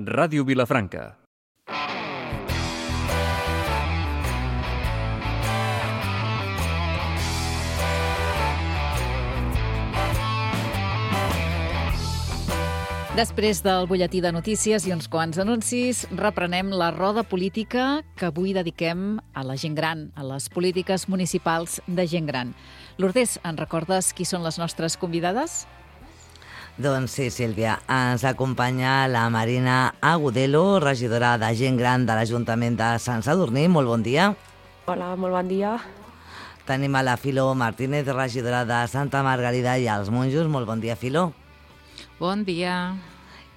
Ràdio Vilafranca. Després del butlletí de notícies i uns quants anuncis, reprenem la roda política que avui dediquem a la gent gran, a les polítiques municipals de gent gran. Lourdes, en recordes qui són les nostres convidades? Doncs sí, Sílvia. Ens acompanya la Marina Agudelo, regidora de gent gran de l'Ajuntament de Sant Sadurní. Molt bon dia. Hola, molt bon dia. Tenim a la Filo Martínez, regidora de Santa Margarida i els Monjos. Molt bon dia, Filo. Bon dia.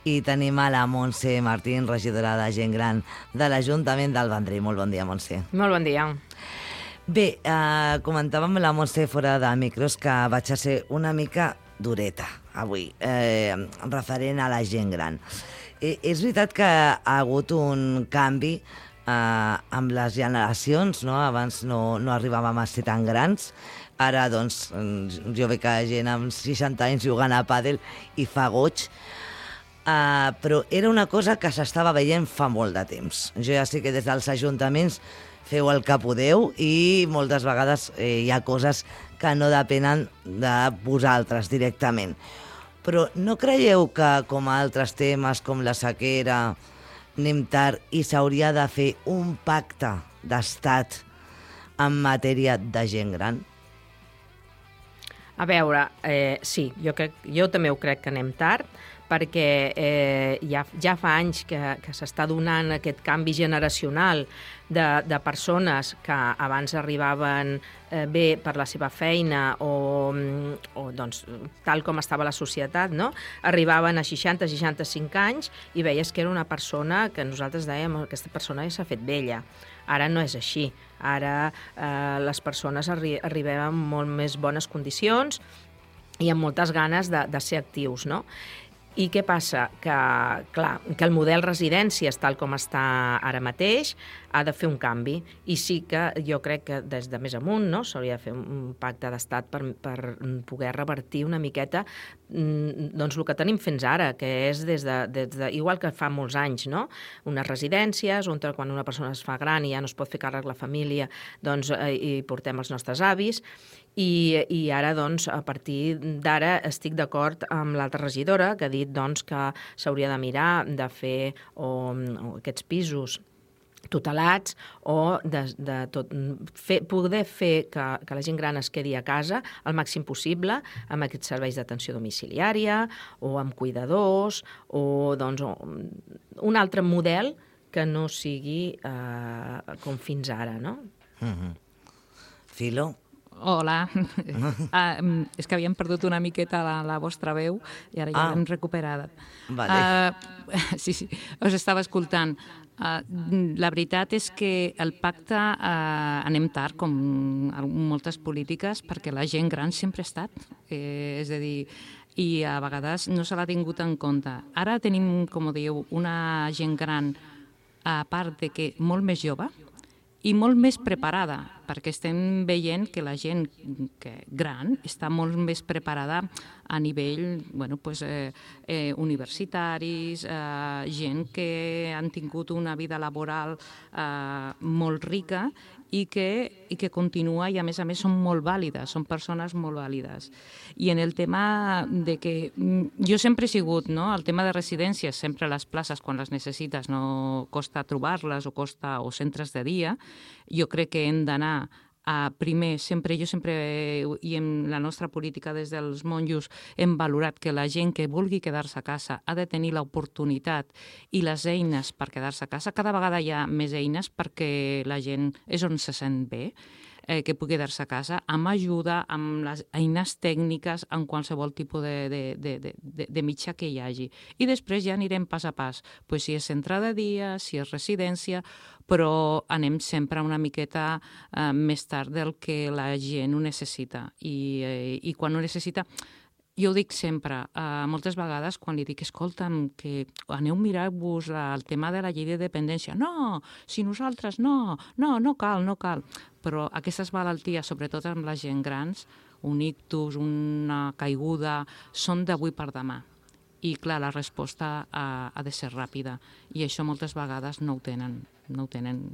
I tenim a la Montse Martín, regidora de gent gran de l'Ajuntament del Vendrell. Molt bon dia, Montse. Molt bon dia. Bé, comentàvem amb la Montse fora de micros que vaig a ser una mica dureta avui, referent a la gent gran. És veritat que ha hagut un canvi amb les generacions, no? Abans no arribàvem a ser tan grans. Ara, doncs, jo veig que gent amb 60 anys jugant a pàdel i fa goig, però era una cosa que s'estava veient fa molt de temps. Jo ja sé que des dels ajuntaments feu el que podeu i moltes vegades hi ha coses que no depenen de vosaltres directament. Però no creieu que, com a altres temes, com la sequera, anem tard i s'hauria de fer un pacte d'estat en matèria de gent gran? A veure, sí, jo també ho crec que anem tard, perquè ja fa anys que s'està donant aquest canvi generacional de persones que abans arribaven bé per la seva feina o doncs, tal com estava la societat, no? Arribaven a 60-65 anys i veies que era una persona que nosaltres dèiem aquesta persona ja s'ha fet vella. Ara no és així. Ara les persones arribem en molt més bones condicions i amb moltes ganes de ser actius, no? I què passa? Que el model residències, tal com està ara mateix, ha de fer un canvi. I sí que jo crec que des de més amunt, no, s'hauria de fer un pacte d'estat per poder revertir una miqueta doncs el que tenim fins ara, que és igual que fa molts anys, no? Unes residències on quan una persona es fa gran i ja no es pot fer càrrec la família, doncs hi portem els nostres avis. I ara, doncs, a partir d'ara estic d'acord amb l'altra regidora que ha dit doncs, que s'hauria de mirar de fer aquests pisos tutelats o poder fer que la gent gran es quedi a casa el màxim possible amb aquests serveis d'atenció domiciliària o amb cuidadors o doncs, un altre model que no sigui com fins ara, no? Filo? Hola. És que havíem perdut una miqueta la vostra veu i ara ja l'hem recuperada. Vale. Sí, us estava escoltant. La veritat és que el pacte anem tard, com moltes polítiques, perquè la gent gran sempre ha estat. És a dir, i a vegades no se l'ha tingut en compte. Ara tenim, com dieu, una gent gran, a part de que molt més jove, i molt més preparada, perquè estem veient que la gent gran està molt més preparada a nivell universitaris, gent que han tingut una vida laboral molt rica i que continua i a més són molt vàlides, són persones molt vàlides. I en el tema de que jo sempre he sigut, no? El tema de residències, sempre les places quan les necessites no costa trobar-les o centres de dia, jo crec que hem d'anar primer, jo sempre, i en la nostra política des dels monjos, hem valorat que la gent que vulgui quedar-se a casa ha de tenir l'oportunitat i les eines per quedar-se a casa. Cada vegada hi ha més eines perquè la gent és on se sent bé, que pugui quedar-se a casa, amb ajuda, amb les eines tècniques, en qualsevol tipus de mitjà que hi hagi. I després ja anirem pas a pas, si és centre de dia, si és residència, però anem sempre una miqueta més tard del que la gent ho necessita. I quan ho necessita... Jo ho dic sempre, moltes vegades quan li dic, escolta'm, que aneu a mirar-vos el tema de la llei de dependència. No, si nosaltres no cal. Però aquestes malalties, sobretot amb la gent grans, un ictus, una caiguda, són d'avui per demà. i, clar, la resposta ha de ser ràpida i això moltes vegades no ho tenen.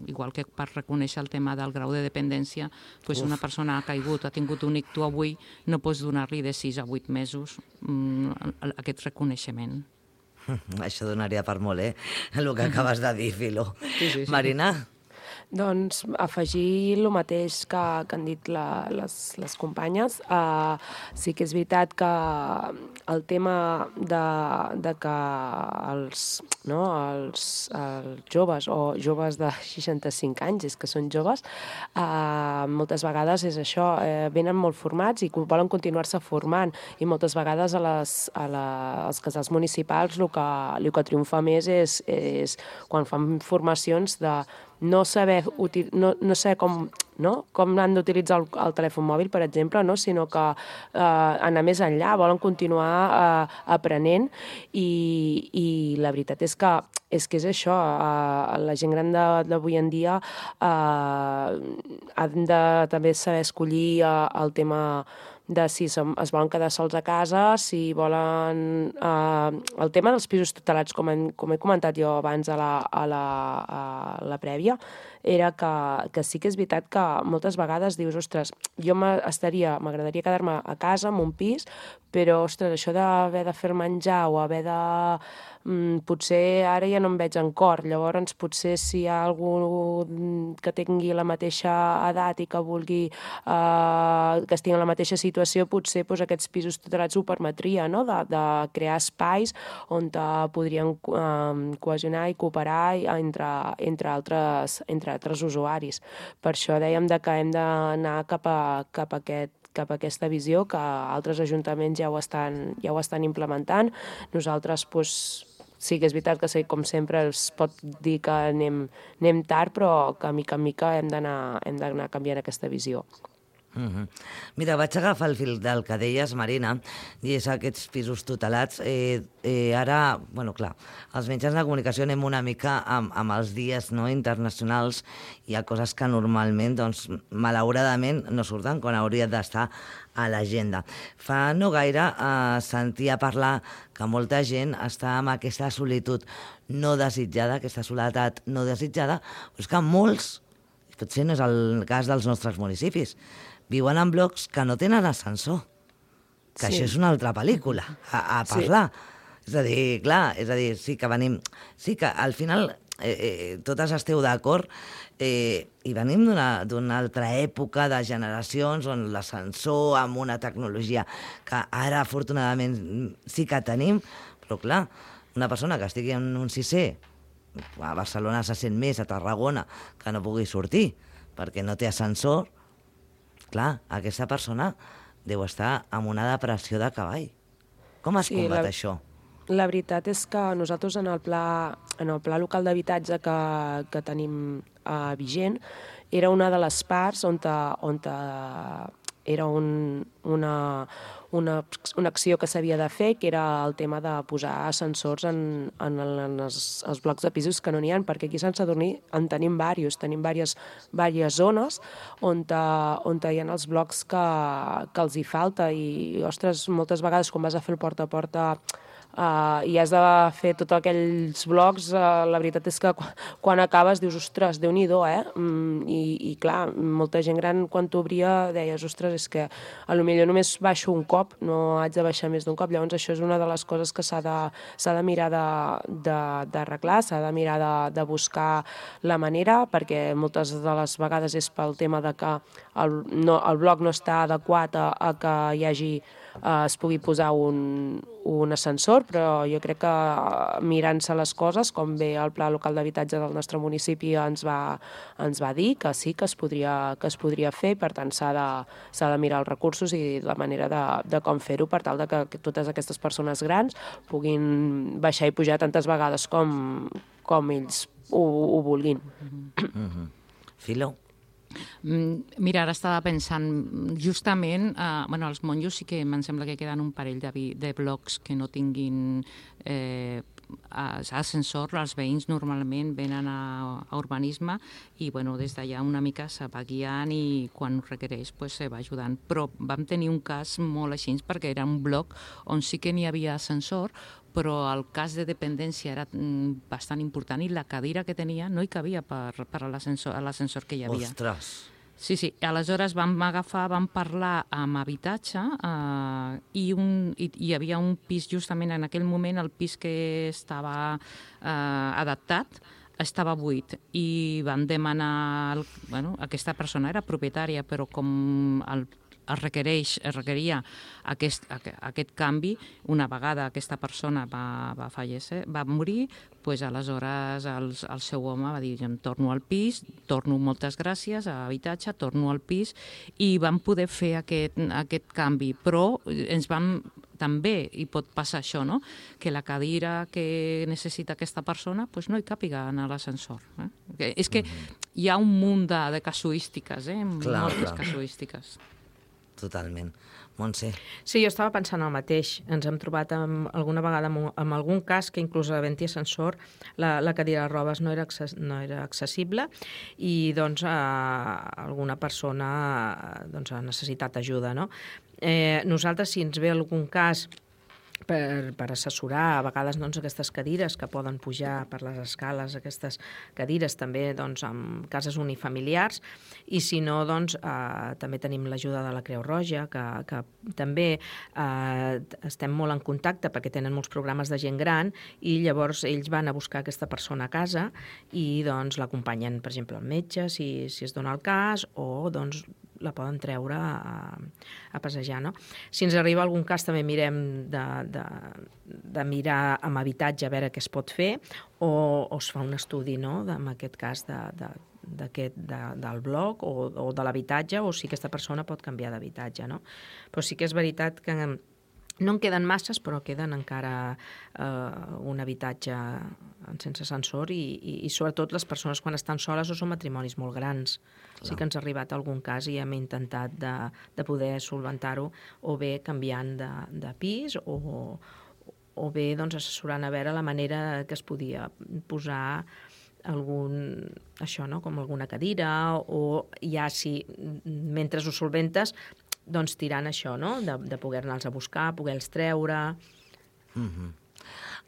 Igual que per reconèixer el tema del grau de dependència, doncs una persona ha caigut, ha tingut un ictus avui, no pots donar-li de 6 a 8 mesos aquest reconeixement. Això donaria per molt, el que acabes de dir, Filo. Sí. Marina? Doncs afegir el mateix que han dit les companyes. Sí que és veritat que el tema de que els joves o joves de 65 anys, és que són joves, moltes vegades és això, venen molt formats i volen continuar-se formant, i moltes vegades als casals municipals el que triomfa més és quan fan formacions de no saber com han d'utilitzar el telèfon mòbil, per exemple, sinó que anar més enllà, volen continuar aprenent, i la veritat és que és això, la gent gran d'avui en dia han de també saber escollir el tema de si es volen quedar sols a casa, si volen... El tema dels pisos tutelats, com he comentat jo abans a la prèvia, era que sí que és veritat que moltes vegades dius, ostres, jo m'agradaria quedar-me a casa, en un pis, però, ostres, això d'haver de fer menjar o haver de... potser ara ja no em veig en cor, llavors potser si hi ha algú que tingui la mateixa edat i que vulgui que estigui en la mateixa situació, potser aquests pisos tutelats ho permetria, no? De crear espais on podrien cohesionar i cooperar entre altres usuaris. Per això dèiem que hem d'anar cap a aquesta visió, que altres ajuntaments ja ho estan implementant. Nosaltres, sí que és veritat que, com sempre, es pot dir que anem tard, però que mica en mica hem d'anar canviant aquesta visió. Mira, vaig agafar el fil del que deies, Marina, i és aquests pisos tutelats. Ara, clar, els mitjans de comunicació anem una mica amb els dies internacionals. Hi ha coses que normalment, malauradament, no surten quan haurien d'estar a l'agenda. Fa no gaire sentia parlar que molta gent està amb aquesta solitud no desitjada, aquesta soledat no desitjada, però és que molts, potser no és el cas dels nostres municipis, viuen en blocs que no tenen ascensor, que això és una altra pel·lícula a parlar. És a dir, sí que venim... Sí que al final totes esteu d'acord i venim d'una altra època de generacions on l'ascensor amb una tecnologia que ara afortunadament sí que tenim, però clar, una persona que estigui en un 6è, a Barcelona se sent més, a Tarragona, que no pugui sortir perquè no té ascensor, clar, aquesta persona deu estar amb una depressió de cavall. Com es combat això? La veritat és que nosaltres en el pla local d'habitatge que tenim vigent era una de les parts on era una acció que s'havia de fer, que era el tema de posar ascensors en els blocs de pisos que no n'hi ha, perquè aquí a Sant Sadurní en tenim diverses zones on hi ha els blocs que els hi falta, i, ostres, moltes vegades quan vas a fer el porta a porta i has de fer tots aquells blocs, la veritat és que quan acabes dius, ostres, Déu-n'hi-do, I clar, molta gent gran quan t'obria deies, ostres, és que potser només baixo un cop, no haig de baixar més d'un cop. Llavors això és una de les coses que s'ha de mirar d'arreglar, s'ha de mirar de buscar la manera, perquè moltes de les vegades és pel tema de que el bloc no està adequat a que hi hagi es pugui posar un ascensor, però jo crec que mirant-se les coses, com bé el Pla Local d'Habitatge del nostre municipi ens va dir que sí que es podria fer, per tant s'ha de mirar els recursos i la manera de com fer-ho per tal de que totes aquestes persones grans puguin baixar i pujar tantes vegades com ells ho vulguin. Filo? Mira, ara estava pensant, justament, als monjos sí que em sembla que queden un parell de blocs que no tinguin ascensor. Els veïns normalment venen a urbanisme i des d'allà una mica se va guiant i quan ho requereix se va ajudant. Però vam tenir un cas molt així perquè era un bloc on sí que n'hi havia ascensor, però el cas de dependència era bastant important i la cadira que tenia no hi cabia per a l'ascensor que hi havia. Ostres! Sí, aleshores vam parlar amb habitatge i hi havia un pis justament en aquell moment, el pis que estava adaptat, estava buit i van demanar... aquesta persona era propietària, però com es requeria aquest canvi, una vegada aquesta persona va morir, doncs aleshores el seu home va dir, em torno al pis, torno moltes gràcies a habitatge, torno al pis, i vam poder fer aquest canvi, però ens vam també hi pot passar això, no? Que la cadira que necessita aquesta persona doncs no hi càpiga en l'ascensor. És que hi ha un munt de casuístiques, moltes casuístiques. Totalment. Montse? Sí, jo estava pensant el mateix. Ens hem trobat alguna vegada amb algun cas que inclús havent-hi ascensor la cadira de robes no era accessible i doncs alguna persona ha necessitat ajuda, no? Nosaltres, si ens ve algun cas per assessorar, a vegades aquestes cadires que poden pujar per les escales, aquestes cadires també en cases unifamiliars, i si no, també tenim l'ajuda de la Creu Roja, que també estem molt en contacte perquè tenen molts programes de gent gran i llavors ells van a buscar aquesta persona a casa i l'acompanyen, per exemple, al metge, si es dona el cas, o la poden treure a passejar, no? Si ens arriba algun cas també mirem de mirar amb habitatge a veure què es pot fer o es fa un estudi, no?, en aquest cas del bloc o de l'habitatge, o si aquesta persona pot canviar d'habitatge, no? Però sí que és veritat que no en queden masses, però queden encara un habitatge sense ascensor i sobretot les persones quan estan soles o són matrimonis molt grans. Clar. Sí que ens ha arribat algun cas i hem intentat de poder solventar-ho o bé canviant de pis o bé assessorant a veure la manera que es podia posar com alguna cadira o ja si mentre ho solventes tirant això, no?, de poder-ne-els a buscar, poder-los treure.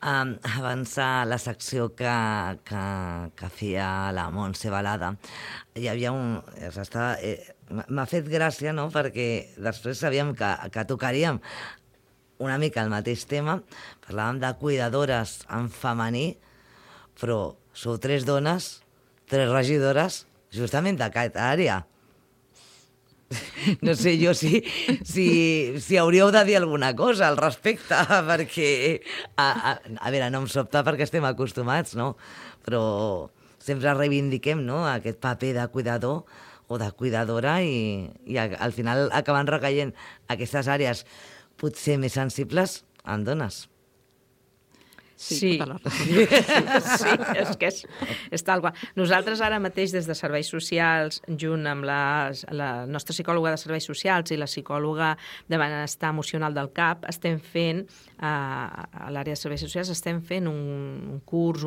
Abans a la secció que feia la Montse Balada, hi havia m'ha fet gràcia, no?, perquè després sabíem que tocaríem una mica el mateix tema, parlàvem de cuidadores en femení, però sou 3 dones, 3 regidores, justament d'aquesta àrea. No sé jo si hauríeu de dir alguna cosa al respecte, perquè, a veure, no em sobta perquè estem acostumats, no? Però sempre reivindiquem, no?, aquest paper de cuidador o de cuidadora i al final acaben recaient aquestes àrees potser més sensibles en dones. Sí, és que és tal qual. Nosaltres ara mateix des de Serveis Socials, junt amb la nostra psicòloga de Serveis Socials i la psicòloga de Benestar Emocional del CAP, estem fent, a l'àrea de Serveis Socials, estem fent un curs,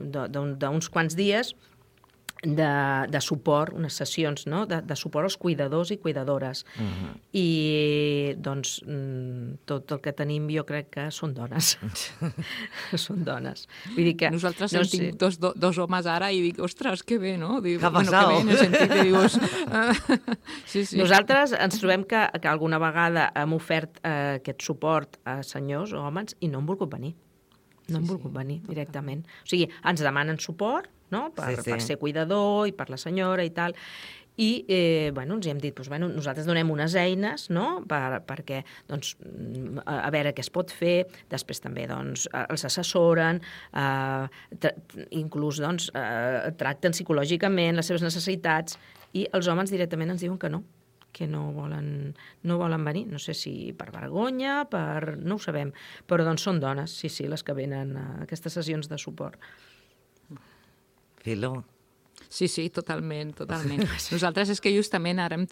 d'uns quants dies de suport, unes sessions, no?, de suport als cuidadors i cuidadores. I, tot el que tenim jo crec que són dones. Són dones. Vull dir que... Nosaltres tinc dos homes ara i dic, ostres, que bé, no? Què ha passat? Que bé, en el sentit que dius... Sí. Nosaltres ens trobem que alguna vegada hem ofert aquest suport a senyors o homes i no han volgut venir. No han volgut venir directament. O sigui, ens demanen suport, no?, per ser cuidador i per la senyora i tal, i ens hem dit, nosaltres donem unes eines, no?, perquè a veure què es pot fer, després també els assessoren, inclús tracten psicològicament les seves necessitats, i els homes directament ens diuen que no volen venir, no sé si per vergonya, no ho sabem, però són dones, sí, les que venen a aquestes sessions de suport. Filo? Sí, totalment. Nosaltres és que justament ara hem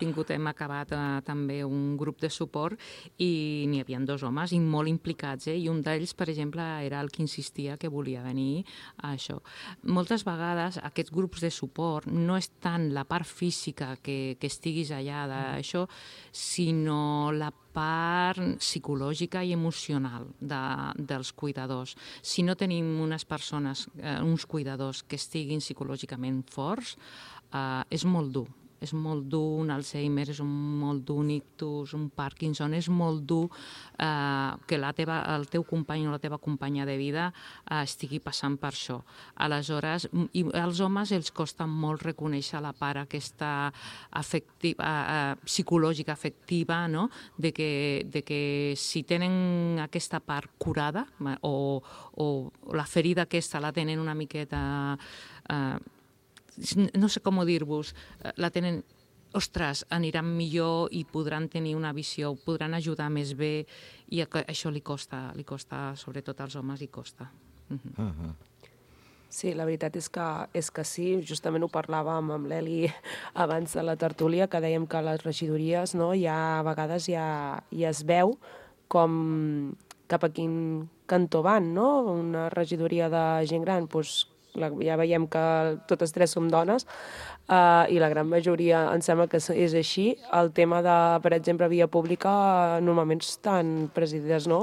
acabat també un grup de suport i n'hi havia 2 homes i molt implicats, i un d'ells, per exemple, era el que insistia que volia venir a això. Moltes vegades aquests grups de suport no és tant la part física que estiguis allà d'això, sinó la part psicològica i emocional dels cuidadors. Si no tenim unes persones, uns cuidadors que estiguin psicològicament forts, és molt dur. És molt dur un Alzheimer, és molt dur un ictus, un Parkinson, és molt dur que el teu company o la teva companya de vida estigui passant per això. Aleshores, i als homes els costa molt reconèixer la part aquesta psicològica, afectiva, no? de que si tenen aquesta part curada o la ferida aquesta la tenen una miqueta... no sé com dir-vos, la tenen, ostres, aniran millor i podran tenir una visió, podran ajudar més bé, i això li costa, sobretot als homes, li costa. Sí, la veritat és que sí, justament ho parlàvem amb l'Eli abans de la tertúlia, que dèiem que les regidories, no, a vegades ja es veu com cap a quin cantó van, no? Una regidoria de gent gran, doncs ja veiem que totes tres som dones i la gran majoria em sembla que és així. El tema de, per exemple, via pública normalment estan presidides, no?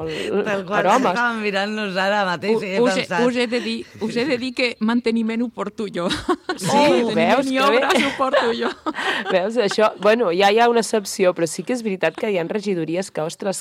Per homes. Estàvem mirant-nos ara mateix i he pensat... Us he de dir que manteniment ho porto jo. Sí, veus? I obres ho porto jo. Veus, això... Bueno, ja hi ha una excepció, però sí que és veritat que hi ha regidories que, ostres,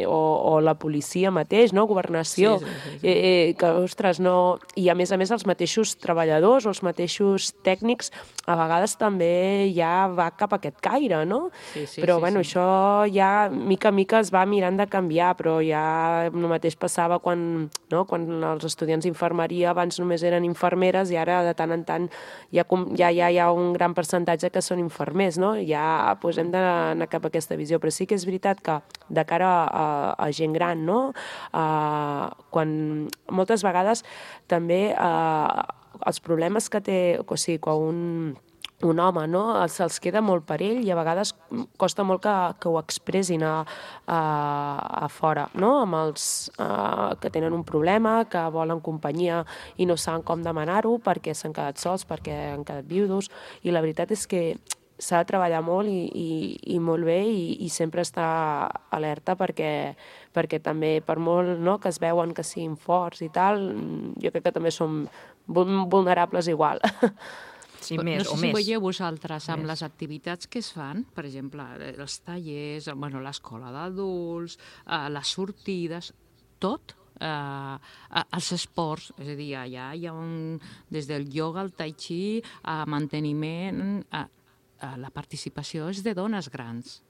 o la policia mateix, no? Governació, que, ostres, no... I a més els mateixos treballadors o els mateixos tècnics a vegades també ja va cap a aquest caire, no? Però, bueno, això ja mica en mica es va mirant de canviar, però ja el mateix passava quan els estudiants d'infermeria abans només eren infermeres i ara de tant en tant ja hi ha un gran percentatge que són infermers, no? Ja hem d'anar cap a aquesta visió, però sí que és veritat que de cara a gent gran, no? Quan moltes vegades també els problemes que té, o sigui, quan un home, no? Se'ls queda molt per ell i a vegades costa molt que ho expressin a fora, no? Amb els que tenen un problema, que volen companyia i no saben com demanar-ho perquè s'han quedat sols, perquè han quedat viudos, i la veritat és que s'ha de treballar molt i molt bé i sempre estar alerta perquè també, per molt, no, que es veuen que siguin forts i tal, jo crec que també som vulnerables igual. Sí, més o més. No sé si veieu vosaltres amb les activitats que es fan, per exemple, els tallers, l'escola d'adults, les sortides, tot, els esports, és a dir, allà hi ha des del ioga, el tai chi, manteniment, la participació és de dones grans.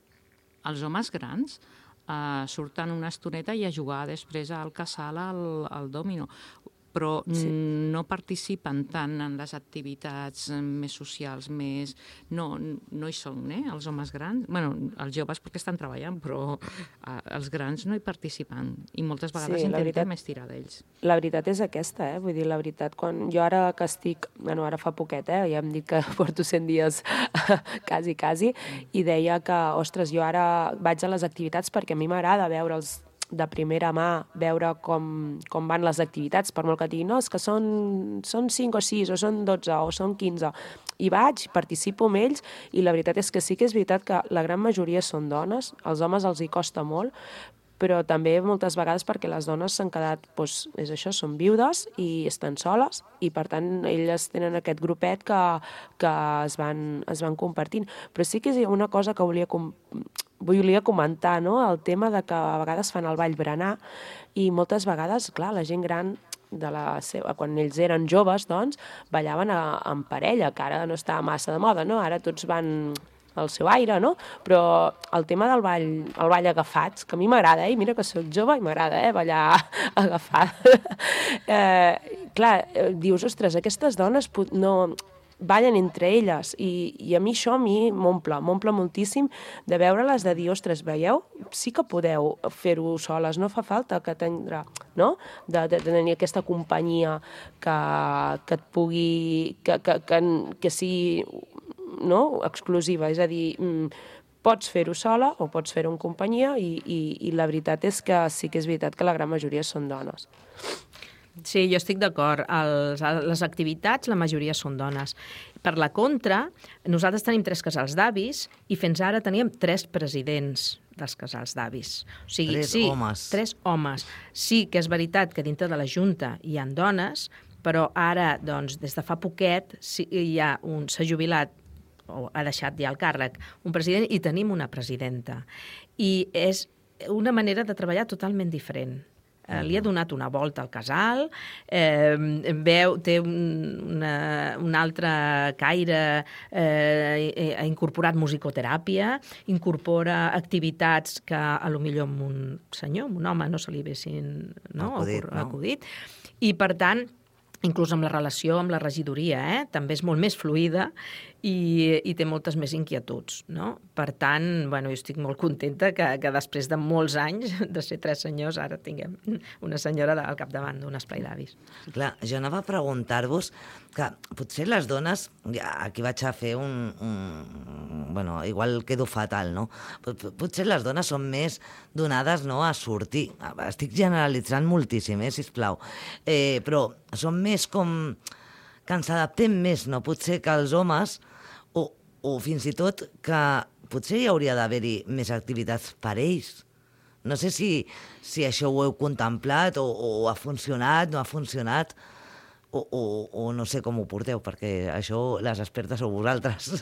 Els homes grans surten una estoneta i a jugar després al casal, al dòmino, però no participen tant en les activitats més socials, no hi són, els homes grans. Bé, els joves perquè estan treballant, però els grans no hi participen i moltes vegades intentem estirar d'ells. La veritat és aquesta, vull dir, la veritat, quan jo ara que estic, ara fa poquet, ja hem dit que porto 100 dies quasi, i deia que, ostres, jo ara vaig a les activitats perquè a mi m'agrada veure'ls de primera mà, veure com van les activitats, per molt que diguin, no, és que són 5 o 6, o són 12, o són 15. I vaig, participo amb ells, i la veritat és que sí que és veritat que la gran majoria són dones, als homes els hi costa molt, però també moltes vegades perquè les dones s'han quedat, doncs, és això, són viudes i estan soles, i per tant elles tenen aquest grupet que es van compartint. Però sí que és una cosa que volia comentar, no? El tema de que a vegades fan el ball berenar i moltes vegades, clar, la gent gran quan ells eren joves, doncs, ballaven en parella, que ara no està massa de moda, no? Ara tots van al seu aire, no? Però el tema del ball agafats, que a mi m'agrada, mira que soc jove i m'agrada, ballar agafat. Clar, dius, ostres, aquestes dones no ballen entre elles i a mi això m'omple moltíssim de veure-les, de dir, ostres, veieu? Sí que podeu fer-ho soles, no fa falta que tindrà, no? De tenir aquesta companyia que et pugui, que sigui, no? Exclusiva, és a dir, pots fer-ho sola o pots fer-ho en companyia i la veritat és que sí que és veritat que la gran majoria són dones. Sí, jo estic d'acord. Les activitats, la majoria són dones. Per la contra, nosaltres tenim 3 casals d'avis i fins ara teníem 3 presidents dels casals d'avis. O sigui, Tres homes. 3 homes. Sí que és veritat que dintre de la Junta hi ha dones, però ara, doncs, des de fa poquet, s'ha jubilat o ha deixat ja el càrrec un president i tenim una presidenta. I és una manera de treballar totalment diferent. Li ha donat una volta al casal, té un altre caire, ha incorporat musicoteràpia, incorpora activitats que potser a un senyor, a un home, no se li haguessin acudit. I, per tant, inclús amb la relació amb la regidoria, també és molt més fluida i té moltes més inquietuds, no? Per tant, jo estic molt contenta que després de molts anys de ser 3 senyors ara tinguem una senyora al capdavant d'un esplai d'avis. Clar, jo anava a preguntar-vos que potser les dones, aquí vaig a fer igual quedo fatal, no? Potser les dones són més donades, no, a sortir. Estic generalitzant moltíssim, sisplau. Però són més com que ens adaptem més, no? Potser que els homes, o fins i tot que potser hi hauria d'haver-hi més activitats per ells. No sé si això ho heu contemplat o ha funcionat, no ha funcionat, o no sé com ho porteu, perquè això les expertes sou vosaltres.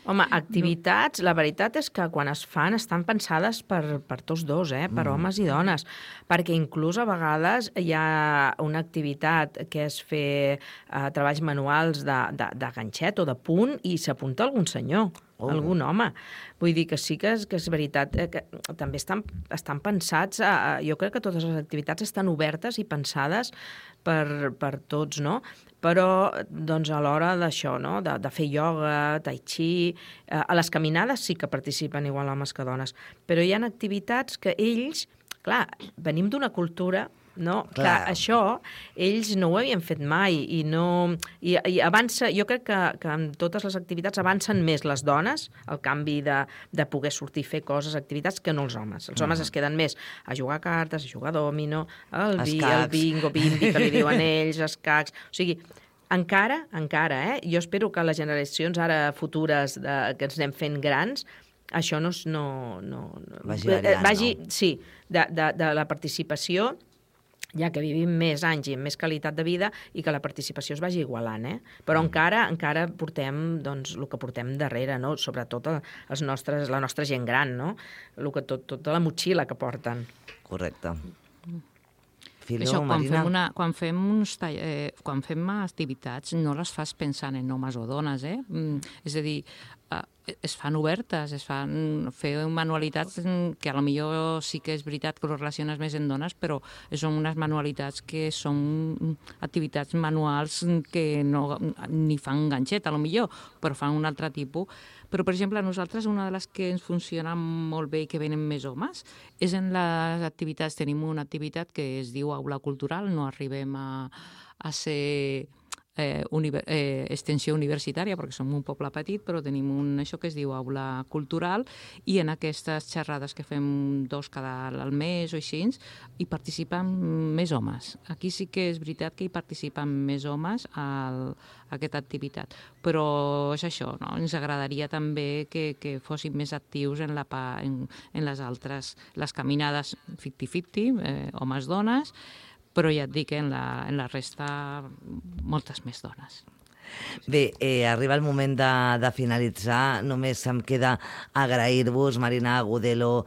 Home, activitats, la veritat és que quan es fan estan pensades per tots dos, per homes i dones, perquè inclús a vegades hi ha una activitat que és fer treballs manuals de ganxet o de punt i s'apunta algun senyor, algun home. Vull dir que sí que és veritat, que també estan pensats, jo crec que totes les activitats estan obertes i pensades per tots, no? Però, doncs, a l'hora d'això, no?, de fer ioga, tai chi, a les caminades sí que participen igual homes que dones, però hi ha activitats que ells, clar, venim d'una cultura, no?, que això ells no ho havien fet mai i avança, jo crec que en totes les activitats avancen més les dones, el canvi de poder sortir a fer coses, activitats, que no els homes. Els homes es queden més a jugar a cartes, a jugar a dòmino, el bingo, bimbi, que li diuen ells, escacs... O sigui, encara, jo espero que les generacions ara futures que ens anem fent grans, això no vagi variant, sí, de la participació, ja que vivim més anys i amb més qualitat de vida i que la participació es vagi igualant, Però encara portem, doncs, el que portem darrere, no? Sobretot la nostra gent gran, no? Tota la motxilla que porten. Correcte. Això, quan fem activitats no les fas pensant en homes o dones, És a dir, es fan obertes, es fan fer manualitats que a lo millor sí que és veritat que ho relaciones més en dones, però són unes manualitats que són activitats manuals que no ni fan ganxet, a lo millor, però fan un altre tipus. Però, per exemple, a nosaltres una de les que ens funciona molt bé i que venen més homes és en les activitats. Tenim una activitat que es diu aula cultural, no arribem a ser extensió universitària perquè som un poble petit, però tenim això que es diu aula cultural i en aquestes xerrades que fem 2 cada al mes o així hi participen més homes. Aquí sí que és veritat que hi participen més homes a aquesta activitat, però és això, no? Ens agradaria també que fossin més actius en les altres, les caminades 50-50, homes-dones, però ja et dic, en la resta, moltes més dones. Bé, arriba el moment de finalitzar. Només em queda agrair-vos, Marina Agudelo,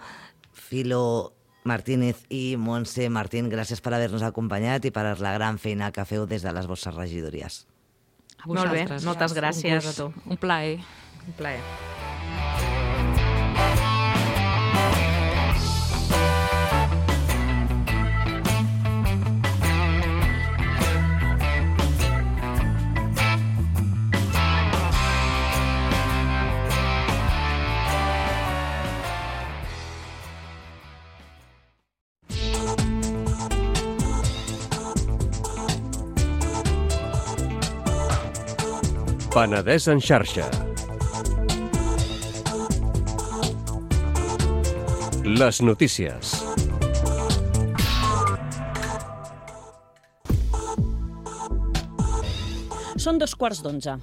Filo Martínez i Montse Martín. Gràcies per haver-nos acompanyat i per la gran feina que feu des de les vostres regidories. Molt bé, moltes gràcies a tu. Un plaer. Un plaer. Penedès en xarxa. Les notícies. Són 2:15.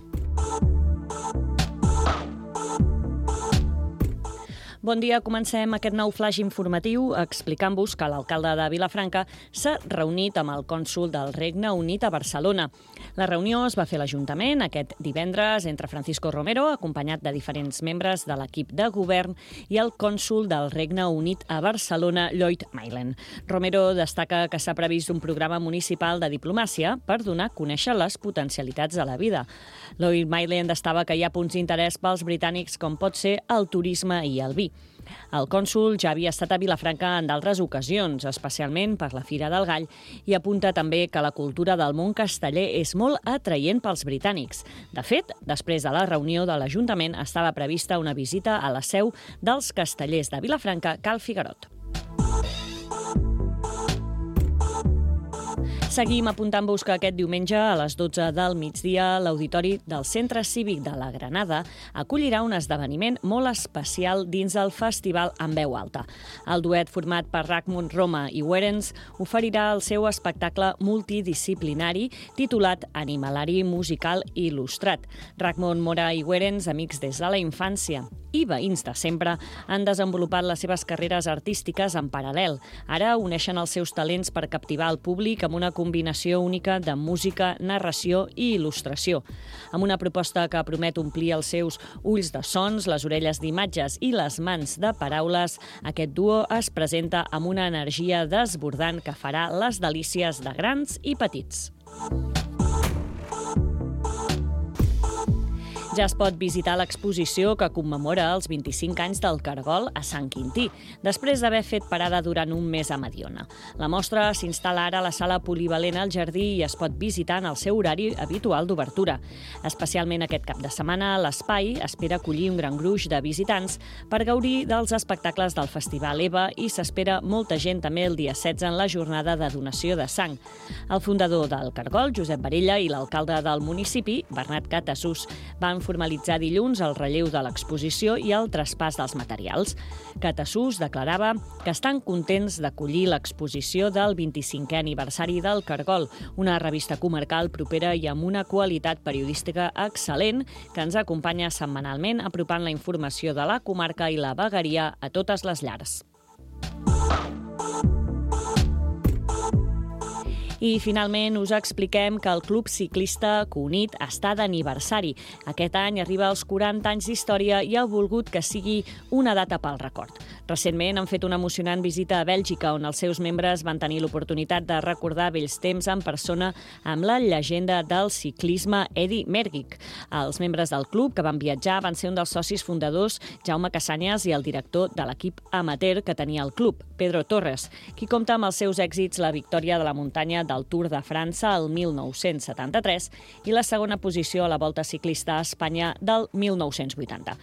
Bon dia, comencem aquest nou flash informatiu explicant-vos que l'alcalde de Vilafranca s'ha reunit amb el cònsol del Regne Unit a Barcelona. La reunió es va fer a l'Ajuntament aquest divendres entre Francisco Romero, acompanyat de diferents membres de l'equip de govern, i el cònsol del Regne Unit a Barcelona, Lloyd Maylen. Romero destaca que s'ha previst un programa municipal de diplomàcia per donar a conèixer les potencialitats de la vida. Lloyd Maylen destava que hi ha punts d'interès pels britànics com pot ser el turisme i el vi. El cònsol ja havia estat a Vilafranca en d'altres ocasions, especialment per la Fira del Gall, i apunta també que la cultura del món casteller és molt atraient pels britànics. De fet, després de la reunió de l'Ajuntament estava prevista una visita a la seu dels castellers de Vilafranca, Cal Figuerot. Seguim apuntant-vos que aquest diumenge a les 12 del migdia l'Auditori del Centre Cívic de la Granada acollirà un esdeveniment molt especial dins del festival En veu alta. El duet format per Rachmund Roma i Werens oferirà el seu espectacle multidisciplinari titulat Animalari musical il·lustrat. Rachmund, Mora i Werens, amics des de la infància i veïns de sempre, han desenvolupat les seves carreres artístiques en paral·lel. Ara uneixen els seus talents per captivar el públic amb una combinació única de música, narració i il·lustració. Amb una proposta que promet omplir els seus ulls de sons, les orelles d'imatges i les mans de paraules, aquest duo es presenta amb una energia desbordant que farà les delícies de grans i petits. Ja es pot visitar l'exposició que commemora els 25 anys del Cargol a Sant Quintí, després d'haver fet parada durant un mes a Mediona. La mostra s'instal·la ara a la sala polivalent al jardí i es pot visitar en el seu horari habitual d'obertura. Especialment aquest cap de setmana, l'espai espera acollir un gran gruix de visitants per gaudir dels espectacles del Festival EVA i s'espera molta gent també el dia 16 en la jornada de donació de sang. El fundador del Cargol, Josep Barella, i l'alcalde del municipi, Bernat Catasús, van formalitzar dilluns el relleu de l'exposició i el traspàs dels materials. Catasús declarava que estan contents d'acollir l'exposició del 25è aniversari del Cargol, una revista comarcal propera i amb una qualitat periodística excel·lent que ens acompanya setmanalment apropant la informació de la comarca i la vegueria a totes les llars. I, finalment, us expliquem que el Club Ciclista Cunit està d'aniversari. Aquest any arriba als 40 anys d'història i ha volgut que sigui una data pel record. Recentment han fet una emocionant visita a Bèlgica, on els seus membres van tenir l'oportunitat de recordar vells temps en persona amb la llegenda del ciclisme Eddy Merckx. Els membres del club que van viatjar van ser un dels socis fundadors, Jaume Cassanyes, i el director de l'equip amateur que tenia el club, Pedro Torres, qui compta amb els seus èxits la victòria de la muntanya del Tour de França el 1973 i la segona posició a la Volta Ciclista a Espanya del 1980.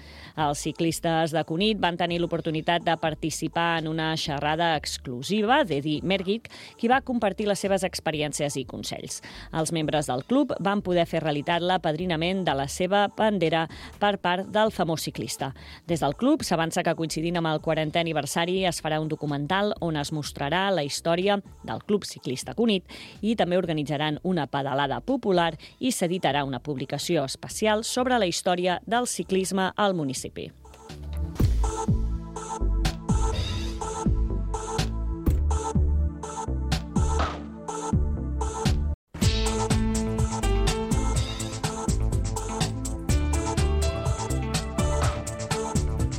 Els ciclistes de Cunit van tenir l'oportunitat de participar en una xerrada exclusiva d'Eddy Merckx, qui va compartir les seves experiències i consells. Els membres del club van poder fer realitat l'apadrinament de la seva bandera per part del famós ciclista. Des del club s'avança que, coincidint amb el 40è aniversari, es farà un documental on es mostrarà la història del Club Ciclista Cunit i també organitzaran una pedalada popular i s'editarà una publicació especial sobre la història del ciclisme al municipi.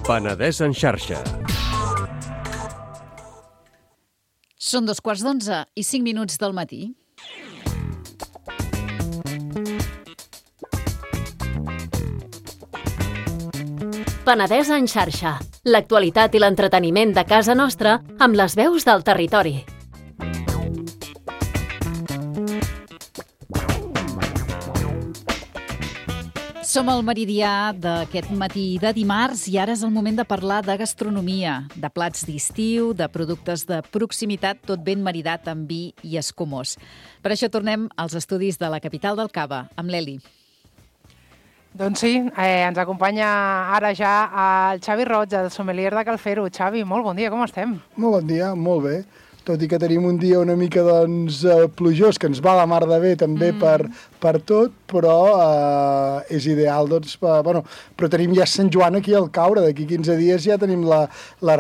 Penedès en xarxa. Són 11:15 i 5 minuts del matí. Penedès en xarxa. L'actualitat i l'entreteniment de casa nostra amb les veus del territori. Som al meridià d'aquest matí de dimarts i ara és el moment de parlar de gastronomia, de plats d'estiu, de productes de proximitat, tot ben maridat amb vi i escumós. Per això tornem als estudis de la capital del Cava, amb l'Eli. Doncs sí, ens acompanya ara ja el Xavi Roig, el sommelier de Calfero. Xavi, molt bon dia, com estem? Molt bon dia, molt bé. tot i que tenim un dia una mica plujós, que ens va la mar de bé també per tot, però és ideal, doncs, però tenim ja Sant Joan aquí al caure, d'aquí 15 dies ja tenim la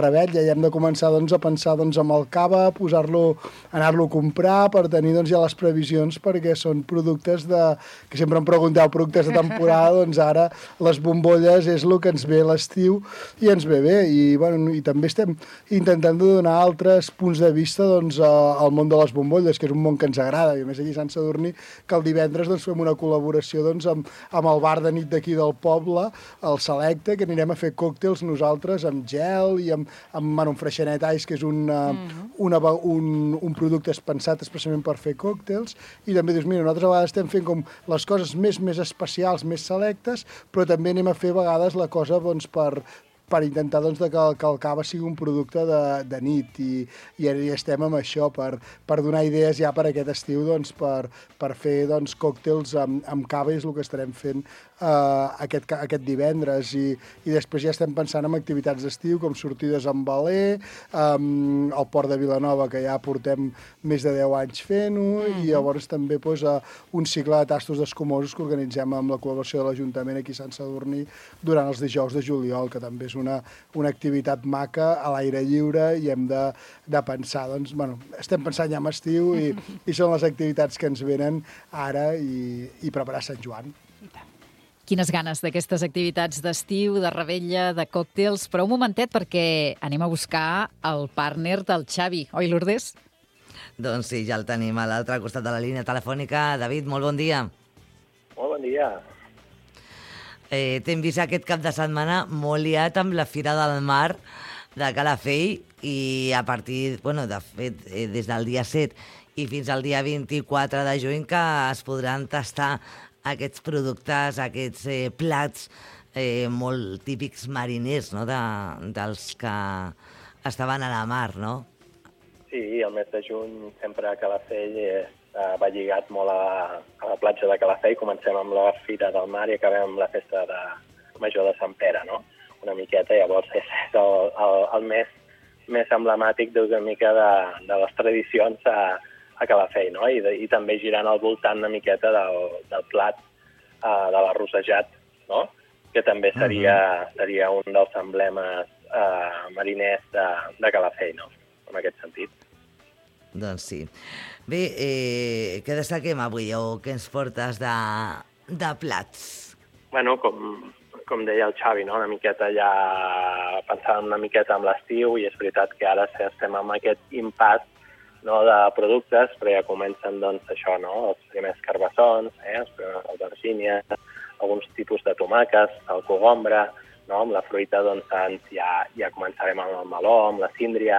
rebetlla, i hem de començar a pensar amb el cava, anar-lo a comprar per tenir ja les previsions, perquè són productes que sempre em pregunteu, productes de temporada, doncs ara les bombolles és el que ens ve l'estiu i ens ve bé, i també estem intentant donar altres punts de vista al món de les bombolles, que és un món que ens agrada, i a més aquí a Sant Sadurní, que el divendres fem una col·laboració amb el bar de nit d'aquí del poble, el Selecte, que anirem a fer còctels nosaltres amb gel i amb un freixenet ice, que és un producte pensat especialment per fer còctels, i també dius, mira, nosaltres a vegades estem fent com les coses més especials, més selectes, però també anem a fer a vegades la cosa per intentar que el cava sigui un producte de nit, i estem amb això, per donar idees ja per aquest estiu, per fer còctels amb cava, és el que estarem fent aquest divendres, i després ja estem pensant en activitats d'estiu, com sortides amb veler, al Port de Vilanova, que ja portem més de 10 anys fent-ho, i llavors també un cicle de tastos d'escumosos que organitzem amb la col·laboració de l'Ajuntament aquí a Sant Sadurní durant els dijous de juliol, que també és una activitat maca a l'aire lliure, i hem de pensar, estem pensant ja en estiu, i són les activitats que ens venen ara, i preparar Sant Joan. Quines ganes d'aquestes activitats d'estiu, de rebetlla, de còctels, però un momentet perquè anem a buscar el partner del Xavi. Oi, Lourdes? Doncs sí, ja el tenim a l'altre costat de la línia telefònica. David, molt bon dia. Molt bon dia. T'hem vist aquest cap de setmana molt liat amb la Fira del Mar de Calafell, i a partir, de fet, des del dia 7 i fins al dia 24 de juny, que es podran tastar aquests productes, aquests plats molt típics mariners, no?, dels que estaven a la mar, no? Sí, el mes de juny sempre a Calafell va lligat molt a la platja de Calafell. Comencem amb la Fira del Mar i acabem amb la festa major de Sant Pere, no? Una miqueta, llavors és el més emblemàtic d'una mica de les tradicions a Calafell, no? I també girant al voltant una miqueta del plat de l'arrossejat, no? Que també seria un dels emblemes mariners de Calafell, no? En aquest sentit. Doncs sí. Bé, què destaquem avui, o què ens portes de plats? Bueno, com deia el Xavi, no? Una miqueta ja pensant una miqueta en l'estiu, i és veritat que ara estem amb aquest impàs, no, de productes, però ja comencen, doncs, això, no? Els primers carbassons, els primers albergínies, alguns tipus de tomàquets, el cogombre, no? Amb la fruita, doncs, ja començarem amb el meló, amb la síndria,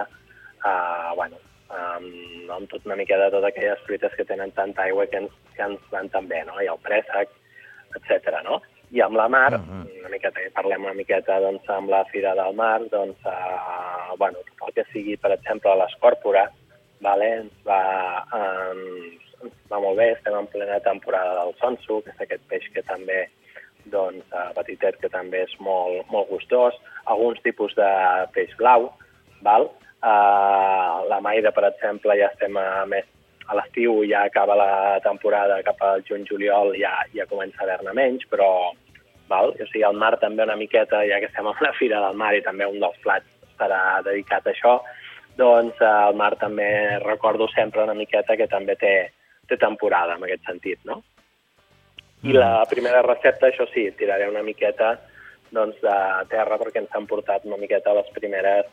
amb tot una mica de totes aquelles fruites que tenen tanta aigua que ens van tan bé, no? I el préssec, etc. No? I amb la mar, parlem una miqueta, doncs, amb la Fira del Mar, doncs, tot el que sigui, per exemple, l'escòrpora, ens va molt bé. Estem en plena temporada del sonso, que és aquest peix que també, doncs, petitet, que també és molt, molt gustós. Alguns tipus de peix blau, la maire, per exemple, ja estem més a l'estiu, ja acaba la temporada, cap al juny-juliol ja comença a haver-ne menys, però o sigui, el mar també una miqueta, ja que estem a la Fira del Mar i també un dels plats estarà dedicat a això, doncs el mar també recordo sempre una miqueta que també té temporada en aquest sentit, no? I la primera recepta, això sí, tiraré una miqueta, doncs, de terra, perquè ens han portat una miqueta les primeres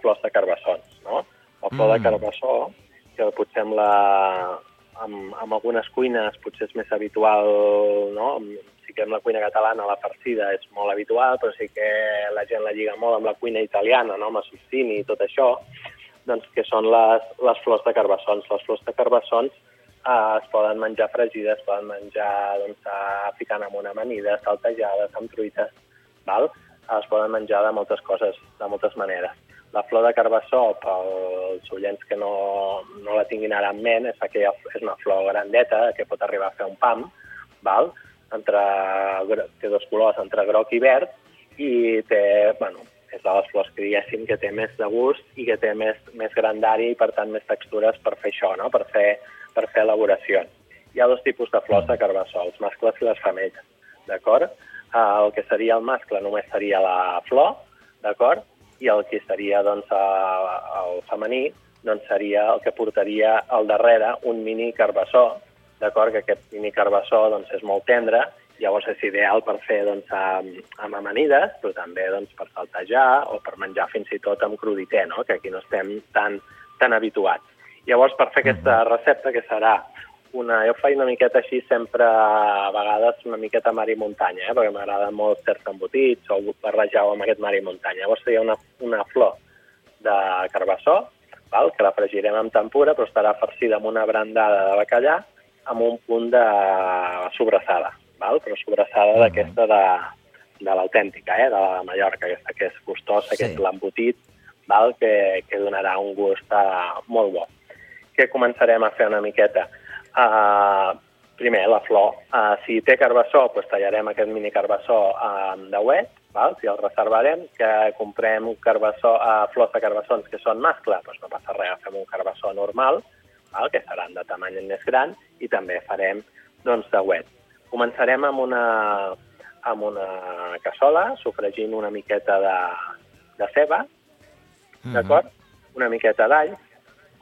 flors de carbassons, no? La flor de carbassó, que potser amb algunes cuines potser és més habitual, no? Sí que amb la cuina catalana la farcida és molt habitual, però sí que la gent la lliga molt amb la cuina italiana, no? Amb el Susini i tot això, doncs, que són les flors de carbassons. Les flors de carbassons es poden menjar fregides, es poden menjar, doncs, ficant amb una amanida, saltejades, amb truites, es poden menjar de moltes coses, de moltes maneres. La flor de carbassó, pels oients que no la tinguin ara en ment, és una flor grandeta que pot arribar a fer un pam, té dos colors, entre groc i verd, i té és de les flors que diguéssim que té més de gust i que té més grandària i per tant més textures per fer això, no? Per fer elaboracions. Hi ha dos tipus de flors de carbassó, els mascles i les femelles, d'acord? El que seria el mascle només seria la flor, d'acord? I el que seria doncs, el femení doncs, seria el que portaria al darrere un mini carbassó, d'acord? Que aquest mini carbassó doncs, és molt tendre, llavors és ideal per fer doncs, amb amanides, però també doncs, per saltejar o per menjar fins i tot amb crudité, no? Que aquí no estem tan habituats. Llavors, per fer aquesta recepta, que serà jo faig una miqueta així sempre, a vegades una miqueta mar i muntanya, perquè m'agrada molt certs embotits o barrejar-ho amb aquest mar i muntanya. Llavors seria una flor de carbassó, que la fregirem amb tempura, però estarà farcida amb una brandada de bacallà amb un punt de sobrassada, però sobrassada d'aquesta de l'autèntica, de la de Mallorca, aquesta que és gustosa, que és l'embotit, que donarà un gust molt bo. Què començarem a fer una miqueta? Primer, la flor. Si té carbassó, tallarem aquest mini carbassó amb dauet, si el reservarem, que comprem flors de carbassons que són mascle, no passa res, agafem un carbassó normal, que seran de tamany més gran, i també farem dauet. Començarem amb una cassola, sofregint una miqueta de ceba, d'acord? Una miqueta d'all,